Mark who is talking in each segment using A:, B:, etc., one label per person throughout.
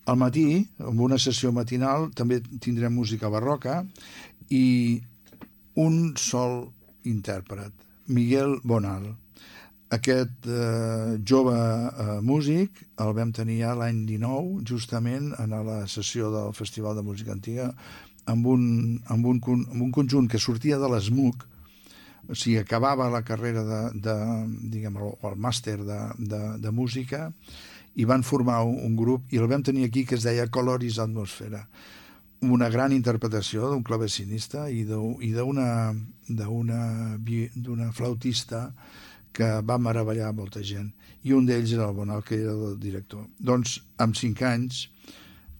A: Al matí, en una sessió matinal, també tindrem música barroca i un sol intèrpret, Miguel Bonal. Aquest jove músic el vam tenir ja l'any 19, justament en la sessió del Festival de Música Antiga, amb un conjunt que sortia de l'ESMUC, o sigui, acabava la carrera diguem, el màster de música, i van formar un grup, i el vam tenir aquí, que es deia Coloris Atmosfera, una gran interpretació d'un clavecinista i d'una flautista que va meravellar molta gent, i un d'ells era el Bonal, que era el director. Doncs, amb 5 anys,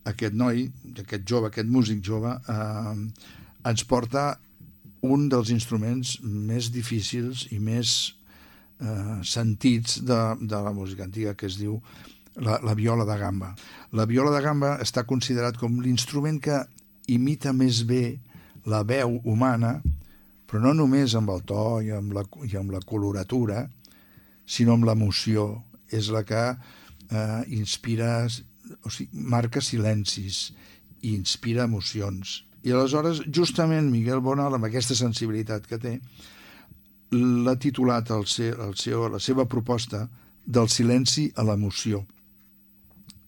A: aquest noi, aquest músic jove, ens porta un dels instruments més difícils i més sentits de la música antiga, que es diu la viola de gamba. La viola de gamba està considerat com l'instrument que imita més bé la veu humana, però no només amb el to i amb la coloratura, sinó amb l'emoció. És la que inspira, o sigui, marca silencis i inspira emocions. I aleshores, justament, Miguel Bonal, amb aquesta sensibilitat que té, l'ha titulat la seva proposta del silenci a l'emoció.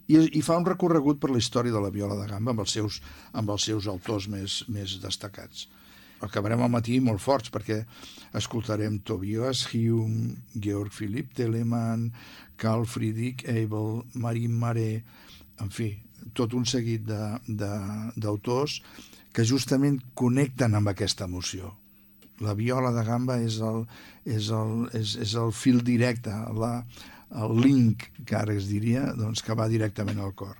A: I fa un recorregut per la història de la viola de gamba amb els seus autors més destacats. Acabarem al matí molt forts, perquè escoltarem Tobias Hume, Georg Philipp Telemann, Carl Friedrich Abel, Marin Maré, en fi, tot un seguit d'autors que justament connecten amb aquesta emoció. La viola de gamba és el fil directe, el link, que ara es diria, doncs, que va directament al cor.